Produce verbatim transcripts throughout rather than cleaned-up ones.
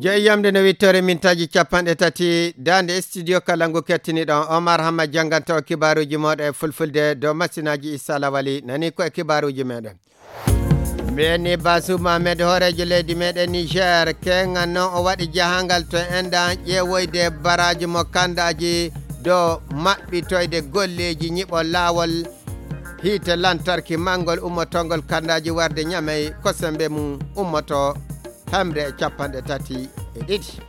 Jeyi yamde no wittore mintaaji capanɗe tati, daande studio kala ngu kettiniɗon. Omar Hamma jannganta o kibaaruuji mooɗon e fulfulde dow masinaaji Issa Lawali. Nani ko e kibaaruuji meɗen. Mbiyen ni Bazoum Mohamed, hooreejo leydi meɗen Niger, keŋŋan noon o waɗi jahangal to enɗan ƴeewoyde baraaji mo kanndaaji dow maɓɓitoyde golleeji ñiɓol laawol hiite lantarki manngol ummotongol kanndaaji warde Ñamey, ko semmbe mum ummoto hemre e capanɗe tati e ɗiɗi.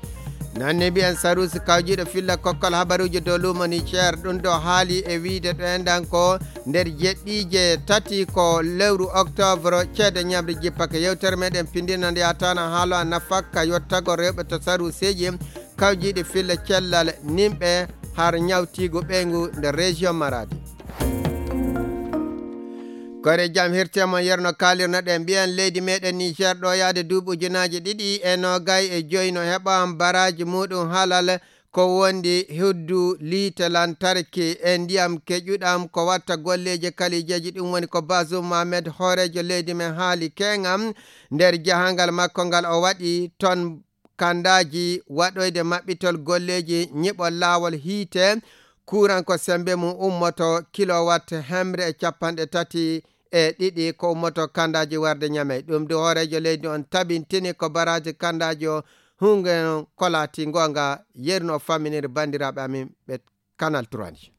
Nanni mbiyen saruusi kawjiiɗo filla kokkol habaruuji dow luumo Niger, ɗum ɗo haali e wiyde ɗo enɗan ko nder jeɗɗiije tati ko lewru octobre, ceede ñamri jippake. Yewtere meɗen pindina nde yataana haalo a nafakka yottagol rewɓe to saruuseeji kawjiiɗi filla cellal nimɓe har ñawtiigu ɓeyngu nder région Maradi. Kore jam hirte mon yerno kaalirno ɗen mbiyen leydi meɗen Niger ɗo yaade duuɓi ujunaaji ɗiɗi e noogay e joyi no heɓa baraaji muɗum halal ko wondi huddu liite lantarki e ndiyam keƴuɗam ko watta golleeji kalijeeji. Ɗum woni ko Bazoum Mohamed, hooreejo leydi men, haali keŋŋam nder jahangal makko ngal o waɗi ton kandaaji waɗoyde maɓɓitol golleeji ñiɓol laawol hiite kuuran ko semmbe mum ummoto kilowatt hemre e capanɗe tati e ɗiɗi ko ummoto kandaaji warde Ñamey. Ɗum du hooreejo leydi on tabintini ko baraaji kandaaji o hunge on ko laati ngoonga. Yeru no famminiri banndiraaɓe amin ɓe Canal trois ni.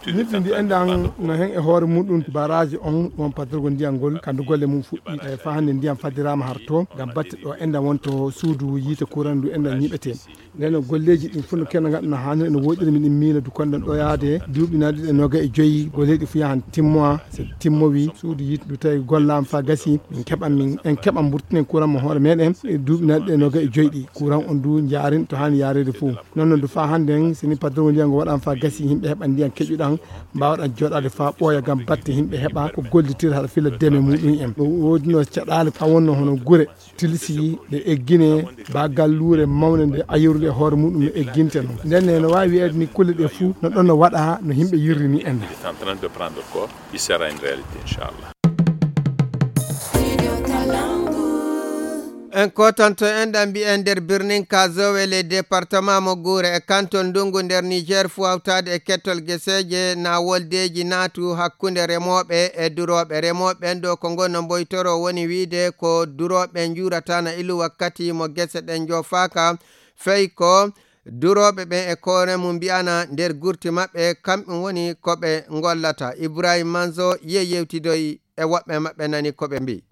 Ñiɓɓi ndi enɗan no hen e hoore muɗum baraaji on won paddorgo ndiyan ngol kandu golle mum fuɗɗi e fa hannde ndiyan faddiraama har to ngam batte ɗo enɗan wonto suudu yiite kuuran ndu enɗan ñiɓete. Nden golleeji ɗin fof no kenno ngaɗa no haaniri no woɗɗiri miɗen miina du konɗen ɗo yaade duuɓi naɗi ɗe noga e joyi golleeji fof yahan timmoa. So timmowi suudu yiite du tawi gollaama fa gasi min keɓan min en keɓan mburtinen kuuran mo hoore meɗen e duuɓi naɗi ɗe noga e joyi ɗi kuuran on du jaarin to haani yaareede fof. Noon noon du fa hannde en sini paddorgo ndiyan ngo waɗan fa gasi yimɓe heɓan ndiyan keƴuɗan mbaawɗan jooɗaade fa ɓooya ngam batte yimɓe heɓa ko gollitir haɗa fila deme muɗum en. Ɗo woodino caɗaale fa wonno hono gure tilsi ɗe eggine ba galluure mawne nde ayirde e hoore muɗum no egginte noon. Nden ne no waawi wiyeede ni kulle ɗe fuu no ɗon no waɗa no yimɓe yirri ni en. Il est en train de prendre corps, il sera une réalité, inchallah. En kotanto en ɗan mbiyen nder birnin Kazowe le département mo Guure e kanton ndungu nder Niger fu hawtaade e kettol geseeje na woldeeji naatu hakkunde remooɓe e durooɓe. Remooɓe ɓen ɗo ko ngonno mboytoro woni wiide ko durooɓe njuurata na ilu wakkati mo gese ɗen njoofaaka fey ko durooɓe ɓen e koore mum mbi'ana nder gurti maɓɓe kamɓe woni ko ɓe ngollata. Ibrahim Manzo ye yewtidoyi e woɓɓe maɓɓe nani ko ɓe mbi'i.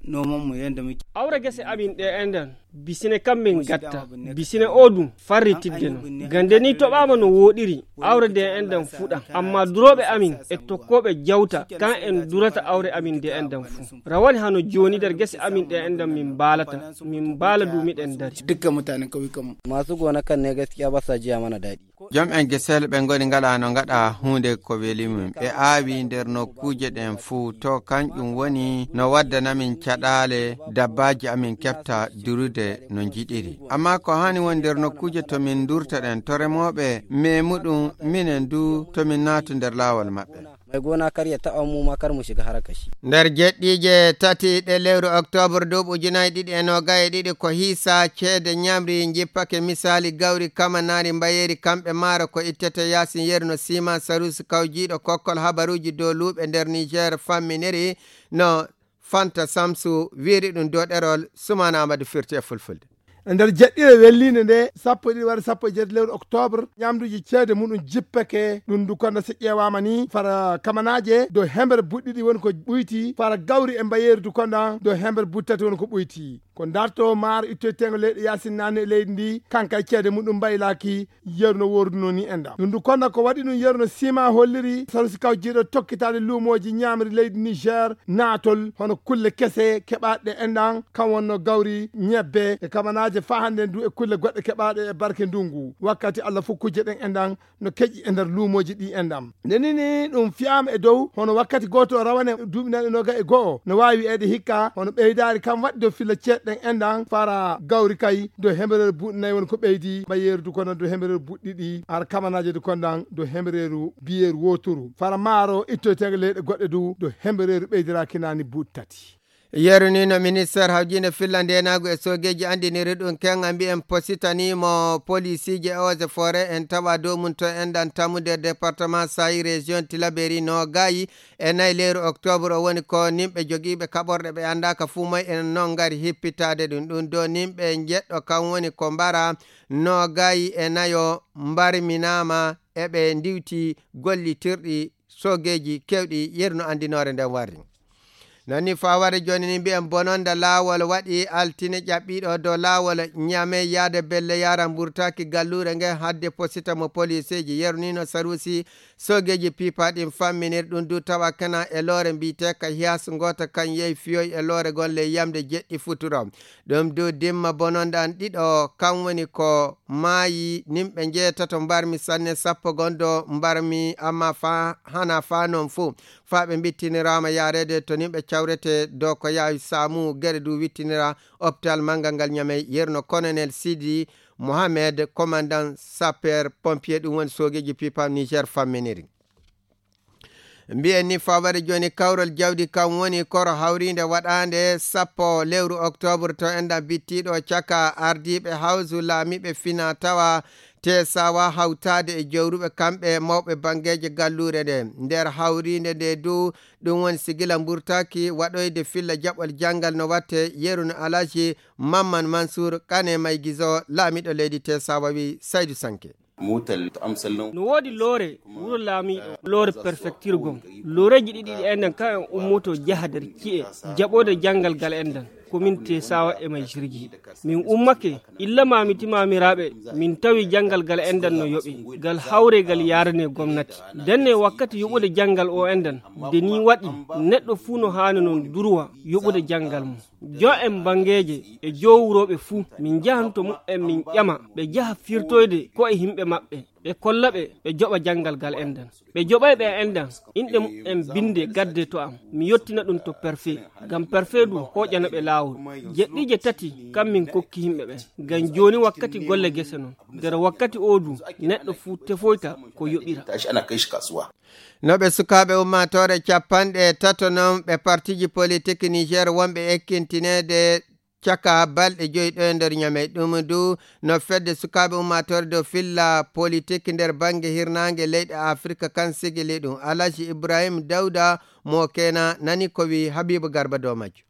Noman mu yanda muke. Awre gese amin ɗe enɗan bisine kam min gatta bisine o ɗum farritidde no gande ni toɓama no woɗiri. Awre de enɗan fuɗa amma duroɓe amin e tokkoɓe jawta kan en durata awre amin de enɗan fu rawane hano joni nder gese amin ɗe enɗan min mbalata min mbala du miɗen dari. Dukkan mutanen kauyukan mu masu gona kan ne gaskiya ba sa jiya mana daɗi. Jom en gesel ɓe ngoni ngala no ngaɗa huunde ko weli mum. Ɓe aawi nder nokkuuje ɗen fuu, to kanƴum woni no waddana min caɗaale, dabbaaji amin keɓta durude no njiɗiri. Ammaa ko haani woni nder nokkuuje to min ndurta ɗen, to remooɓe meemuɗum, minen du to min naatu nder laawol maɓɓe. Mai gona kar ya taɓa mu ma kar mu shiga harkar shi. Nder jeɗɗiije tati ɗe lewru oktoobar duuɓi ujunaaji ɗiɗi e noogay e ɗiɗi ko hiisa ceede ñamri njippake misaali gawri kamanaari mbayeeri kamɓe maaro ko ittete yaasin yeru no siima saruusi kawjiiɗo kokkol habaruuji dow luuɓe nder Niger famminiri no Fanta Samsu wiiri ɗum dow ɗerol Sumana Amadu firti e fulfulde. E nder jeɗɗire welliinde nde sappo e ɗiɗi walla sappo e jeetati lewru oktoobre, ñamduuji ceede muɗum jippake. Ɗum ndu kono so ƴeewaama ni, fara kamanaaje dow hemre buɗɗiɗi woni ko ɓuyti, fara gawri e mbayeeri du kono dow hemre buttati woni ko ɓuyti. Ko darto maaro ittoyteengo leyɗe yaasin naane e leydi ndi, kanka e ceede muɗum mbaylaaki yeru no woorduno ni enɗam. Ɗum ndu kono ko waɗi ɗum yeru no sima holliri, sarusi kawjiiɗo tokkitaade luumooji ñaamri leydi Niger, naatol hono kulle kese keɓaaɗe enɗam, kam wonno gawri, ñebbe e kamanaaje faa hannde ndu e kulle goɗɗe keɓaaɗe e barke ndungu. Wakkati Allah fof kujje ɗen enɗam no keƴi e nder luumooji ɗi enɗam. Nde nini ɗum fiyaama e dow, hono wakkati gooto rawane duuɓi nayi e noga e go'o, no waawi wiyeede hikka, hono ɓeydaari kam waɗi dow filla ceeɗe ɗen enɗam, fara gawri kay, dow hembereere buuɗi nayi woni ko ɓeydi, mbayeeri du kono dow hembereere buuɗi ɗiɗi, har kamanaaje du kono ɗan, dow hembereeru biyeeru wooturu. Fara maaro ittoyteego leyɗe goɗɗe du, dow hembereeru ɓeydiraaki naani buuɗi tati. Yeru ni no ministeer hawjiinde filla ndeenaagu e soogeeji anndiniri ɗum, keŋŋa mbiyen positanii mo poliisiije e eaux et forêt en tawa dow mum to enɗan tamu nder département Saï, région Tilaberi. Noogaayi e nayi lewru octobre o woni ko nimɓe jogiiɓe kaɓorɗe ɓe anndaaka fuu moy en non ngari hippitaade ɗum. Ɗum dow nimɓe njeɗɗo kan woni ko mbara noogaayi e nayo mbarminaama eɓe ndiwti gollitirɗi soogeeji keewɗi, yeru no anndinoore nden warri. Nani faware jooni ni mbiyen bononda laawol waɗi altine ƴaɓɓiiɗo dow laawol Ñame yaade belle yara mburtaki galluure nge hadde posita mo poliseeji. Yeru ni no saruusi soogeeji pipa ɗin famminir ɗum du tawa kana e loore mbiyetee ka hiyas ngoota kan yehi fiyoy e loore gon ley yamde jeɗɗi futuro. Ɗum du dimma bononda an ɗiɗo kan woni ko maayi nimɓe njeetato mbarmi sanne sappo gon do mbarmi amma fa hana fa non fuu. Faa ɓe mbittiniraama yaareede to nimɓe cawrete dow ko yaawi saamu geɗe du wittinira hôpital manngal ngal Ñamey, yerno colonel Sidi Mohamed, commandant sapeur pompier, ɗum woni soogeeji pipa Niger famminiri. Mbiyen ni faware jooni kawral jawdi kam woni koro hawriinde waɗaande sappo lewru octobre to enɗan bittiiɗo caka ardiiɓe hawsu laamiiɓe fina tawa te sawa hawtaade e jowruɓe kamɓe mawɓe banngeeje galluure nde. Nder hawriinde nde du ɗum woni sigila mburtaki waɗoyde filla jaɓol janngal no watte yeru no Alaji Mamman Mansour Kane Maygizo laamiiɗo leydi te sawa wi Saydu Sanke. No woodi loore wuro laamiiɗo loore perfektirgol. Looreeji ɗiɗi ɗi enɗan kan en ummoto jaha nder ci'e jaɓoode janngal gal enɗan. Komin tesawa e may jirgi min ummake illa mamiti mamiraaɓe. Min tawi janngal gal enɗan no yoɓe ngal hawre ngal yarane gomnati. Ndenne wakkati yoɓude janngal o enɗan nde ni waɗi neɗɗo fuu no haani non durwa yoɓude janngal mum. Jon en banngeeje e jowurooɓe fuu min njahan to muɓɓen min ƴama ɓe njaha firtoyde ko'e yimɓe maɓɓe ɓe kolla ɓe ɓe joɓa janngal ngal enɗan. Ɓe joɓay ɓe enɗan inɗe muɓɓen binnde gadde to am mi yottina ɗum to perfee. Ngam perfee du hooƴana ɓe laawol jeɗɗiije tati kam min kokki yimɓe ɓen. Ngam jooni wakkati golle gese non nder wakkati oo du neɗɗo fuu tefoyta ko yoɓira. No ɓe sukaaɓe ummaatoore cappanɗe tato non ɓe partiji politik Niger wonɓe ekkintineede caka balɗe joyi ɗo e nder Ñamey. Ɗum du no fedde sukaaɓe ummaatoore dow filla politik nder bannge hirnaange leyɗe Afirka kan sigili ɗum. Alaji Ibrahim Dawda mo kena nani ko wi Habibu Garba dow majjo.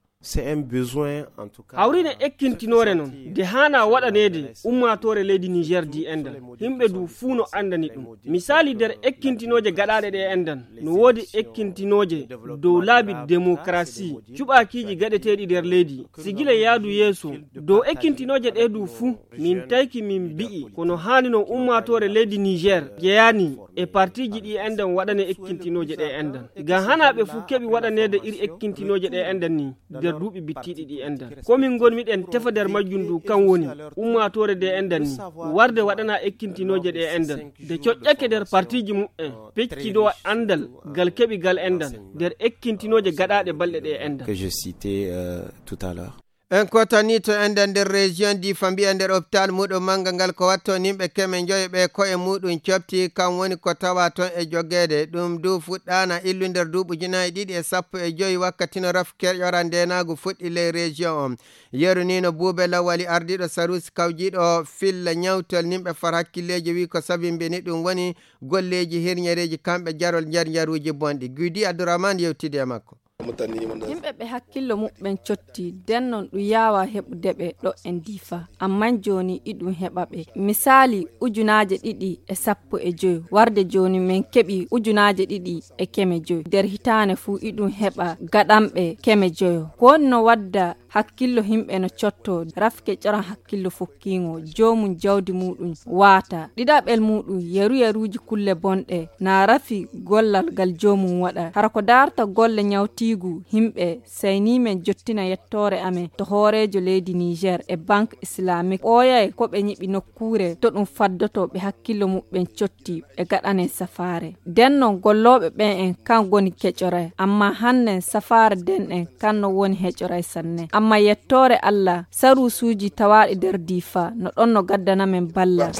Hawrine ekkintinoore non nde haana waɗaneede ummaatoore leydi Niger di enɗan. Yimɓe du fuu no anndani ɗum. Misaali nder ekkintinooje gaɗaaɗe ɗe enɗan no woodi ekkintinooje dow laabi demokarasi cuɓaakiiji gaɗeteeɗi nder leydi. Sigila yaadu yeeso dow ekkintinooje ɗe du fuu min tayki min mbi'i kono haani no ummaatoore leydi Niger jeyaani e partiji ɗi enɗan waɗane ekkintinooje ɗe enɗan. Ngam hana ɓe fuu keɓi waɗaneede iri ekkintinooje ɗe enɗan ni nder duuɓi bittiiɗi ɗi enɗan. Komin ngonmiɗen tefa nder majjum du kan woni ummaatoore de enɗan ni warde waɗana ekkintinooje ɗe enɗan de coƴƴake nder partiji muɓɓen peccido anndal ngal keɓi ngal enɗan nder ekkintinooje gaɗaaɗe balɗe ɗe enɗan. En kotani to enɗan nder région Difa mbiya nder hôpital muɗum mannga ngal ko watto nimɓe keme njoyo ɓe ko'e muɗum cofti kam woni ko tawa toon e jogeede. Ɗum du fuɗɗaana illu nder duuɓi ujunaaji ɗiɗi e sappo e joyi wakkati no raf keƴora ndeenaagu fuɗɗi ley région on. Yeru ni no Buube Lawali ardiiɗo saruusi kawjiiɗo filla ñawtol nimɓe far hakkilleeji wi ko sabimbini ɗum woni golleeji hirñereeji kamɓe jarol njar njaruuji bonɗi. Guydi Abdourahmane yewtidi e makko. Yimɓe ɓe hakkillo muɓɓen cotti den non ɗum yaawa heɓude ɓe ɗo en Difa. Amman jooni iɗum heɓa ɓe. Misaali ujunaaje ɗiɗi e sappo e joy warde jooni men keɓi ujunaaje ɗiɗi e keme joy. Nder hitaane fuu iɗum heɓa gaɗanɓe keme joyo. Ko woni no wadda hakkillo yimɓe no cotto rafke ƴoran hakkillo fokkiingo joomum jawdi muuɗum waata ɗiɗaɓel muuɗum yeru yeruuji kulle bonɗe na rafi gollal ngal joomum waɗa hara ko daarta golle ñawtiigu yimɓe. Saynii men jottina yettoore amen to hooreejo leydi Niger e banque islamique ɓooyay ko ɓe ñiɓi nokkuure to ɗum faddoto ɓe hakkillo muɓɓen cotti ɓe gaɗanee safaare. Nden non gollooɓe ɓen en kan goni keƴoray amma hannen safaare nden en kan no woni heƴoray sanne amma yettoore Allah saruusuuji tawaaɗi nder Diifa no ɗon no gaddana men balla.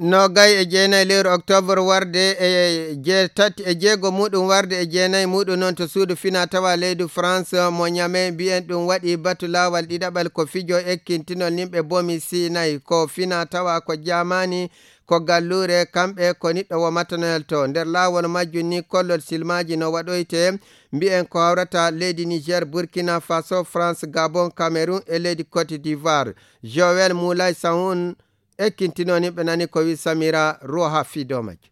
Nogay e jeenayi lewru octobre warde e jeetati e jeego muɗum warde e jeenayi muɗum noon to suudu fina tawa leydi France mo Niamey, mbiyen ɗum waɗi batu laawal ɗiɗaɓal ko fijo ekkintinol nimɓe bomi Sinay, ko fina tawa ko jamaani, ko galluure, kamɓe ko niɗɗo wo matanoyal to. Nder laawol majjum ni kollol silmaaji no waɗoyte, mbiyen ko hawrata leydi Niger, Burkina Faso, France, Gabon, Cameroun e leydi Côte d'Ivoire. Joël Moulay Sahoun, ekkintinoo ni ɓe nani ko wi Samira Roha fii dow majje.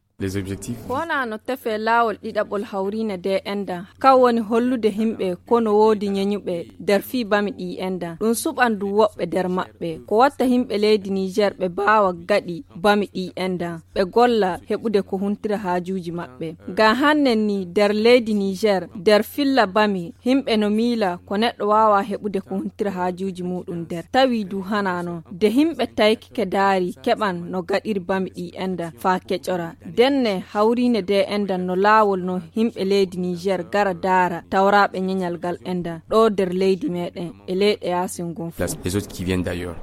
Ko wona no tefe laawol ɗiɗaɓol hawriine de enda, kan woni hollude himɓe ko no woodi ñeñuɓe nder fii bami ɗi enda. Ɗum suɓan du woɓɓe nder maɓɓe. Ko watta himɓe leydi Niger ɓe baawa gaɗi bami ɗi enda, ɓe golla heɓude ko huntira haajuuji maɓɓe. Ngam hannen ni nder leydi Niger, nder filla bami, himɓe no miila ko neɗɗo waawa heɓude ko huntira haajuuji muɗum nder. Tawi du hanaa non. De himɓe tayki ke daari keɓan no gaɗiri bami ɗi enda faa keƴora. Denne hawriine de enda no laawol no himɓe leydi Niger gara daara tawraaɓe ñeñal gal enda ɗo nder leydi meɗen e leyɗe yaasin ngun fof. Place les autres qui viennent d'ailleurs.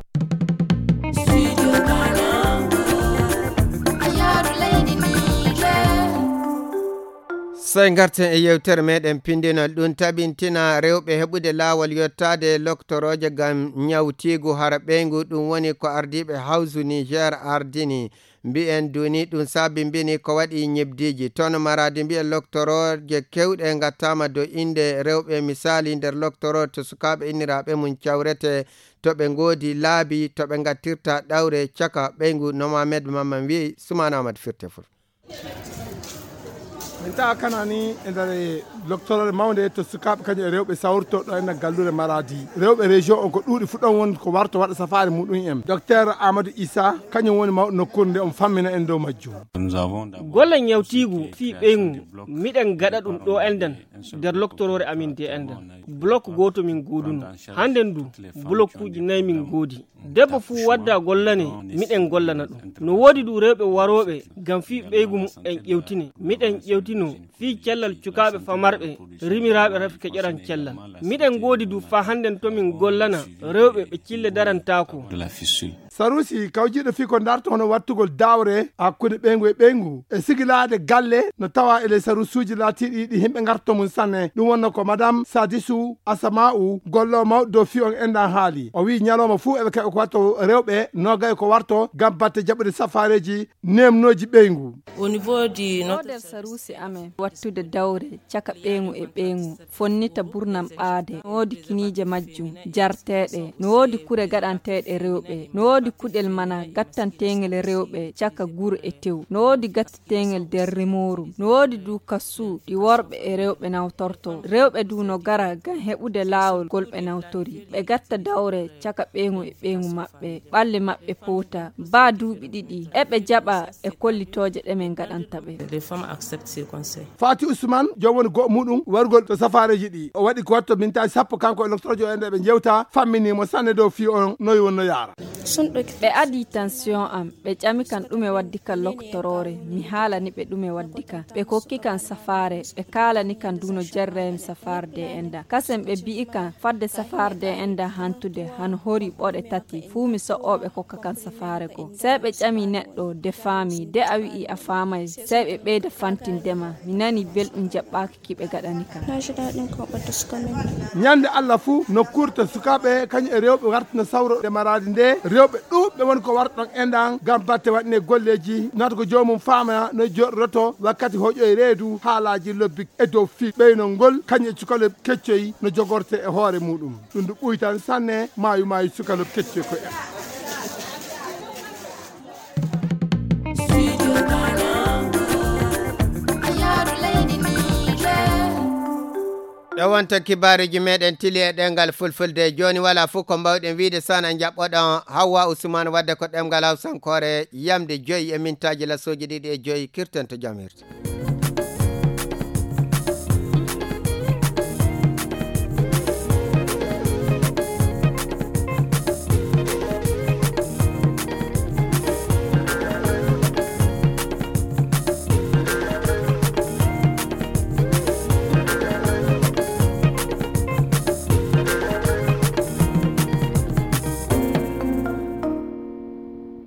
Sey ngarten e yewtere meɗen pindinol ɗum tabintina rewɓe heɓude laawol yottaade loktorooje ngam ñawtiigu hara ɓeyngu, ɗum woni ko ardiiɓe Hawsu Niger ardini. Mbiyen duni ɗum sabimbini ko waɗi ñebdiiji. Toon Maradi mbiyen loktorooje kewɗe ngattaama dow innde rewɓe, misaali nder loktoroo to sukaaɓe inniraaɓe mum cawrete, to ɓe ngoodi laabi, to ɓe ngattirta ɗawre caka ɓeyngu. No Mohamed Mamman wi'i, Sumaana Ahmad firte ful. Min tawa kana ni e nder loktoroore mawnde to sukaaɓe kañum e rewɓe sawrto ɗo e nder galluure Maradi. Rewɓe région on ko ɗuuɗi fu ɗon woni ko warto waɗa safaari muɗum en. Docteur Amadou Issa kañum woni mawɗo nokkuure nde, on fammina en dow majjum. Golle ñawtiigu fii ɓeyngu, miɗen gaɗa ɗum ɗo enden nder loktoroore amin de enden. Blok gooto min gooduno. Hannden du, blokkuuji nayi min goodi. Debbo fuu wadda gollane, miɗen gollana ɗum. No woodi du rewɓe warooɓe ngam fii ɓeygu mu'en ƴewtine. Miɗen ƴewtino fii cellal cukaaɓe famarɓe, rimiraaɓe rafi keƴoran cellal. Miɗen ngoodi du faa hannden to min gollana rewɓe ɓe cille darantaako. Sarusi kawjiiɗo fii ko darto hono wattugol dawre hakkunde ɓeyngu e ɓeyngu e sigilaade galle no tawa e ley sarusuuji laatiiɗi ɗi himɓe ngarto mum sanne. Ɗum wonno ko Madame Sadisu Asama'u, golloowo mawɗo dow fii on enɗan haali. O wi'i ñalawma fuu eɓe keɓa ko watto rewɓe noogay ko warto ngam batte jaɓude safaareeji neemnooji ɓeyngu. Au niveau du O nder saruusi amen wattude dawre caka ɓeyngu e ɓeyngu, fonnita burnam ɓaade, no woodi kiniije majjum, jarteeɗe, no woodi kure gaɗanteeɗe rewɓe, no woodi kuɗel mana gattanteengel rewɓe caka guru e tew, no woodi gattanteengel nder remooru, no woodi du kassu ɗi worɓe e rewɓe nawtorto. Rewɓe du no gara ngam heɓude laawol ngol ɓe nawtori. Ɓe gatta dawre caka ɓeyngu e ɓeyngu maɓɓe, ɓalli maɓɓe poota, baa duuɓi ɗiɗi, eɓe jaɓa e kollitooje ɗe min ngaɗanta ɓe. Les femmes acceptent ces conseils. Fati Ousmane, joom woni go'o muɗum wargol to safaareeji ɗi. O waɗi ko watto mintaaji sappo kanko e loktorojo en ɗe ɓe njewta, fammini mo sanne dow fii on noy wonno yaara. Ɓe adii tension am, ɓe ƴami kan ɗume waddi kan loktoroore, mi haalani ɓe ɗume waddi kan. Ɓe kokki kan safaare, ɓe kaalani kan du no jerraymi safaare de enda. Kasen ɓe bi'i kan fadde safaare de enda hantude hano hori ɓoɗe tati, fuu mi so'o ɓe kokka kan safaare go. Sey ɓe ƴami neɗɗo de faami, de a wi'i a faamay, sey ɓe ɓeyda fantinde ma. Mi nani belɗum jaɓɓaaki ki ɓe gaɗani kan. Na ji daɗin karɓar da suka min. Ñande Allah fuu nokkuure to sukaaɓe kañum e rewɓe wartino sawro e Maradi nde, rewɓe ɗuuɓɓe woni ko wartoɗon enɗan ngam batte waɗne golleeji, naata ko joomum faama no joɗoto wakkati hoƴoy reedu haalaaji lobbi e dow fii ɓeynol ngol kañum e cukalel keccoy no jogorte e hoore muɗum. Ɗum ndu ɓuytan sanne maayu maayu cukalel keccoy ko en. Ɗo wonta kibaaruuji meɗen tili e ɗemngal fulfulde. Jooni walaa fof ko mbawɗen wiide sana njaɓɓoɗon Hawwa Usman wadde ko ɗemngal hawsankoore yamde joyi e mintaaji lasooji ɗiɗi e joyi. Kirten to jam hirta.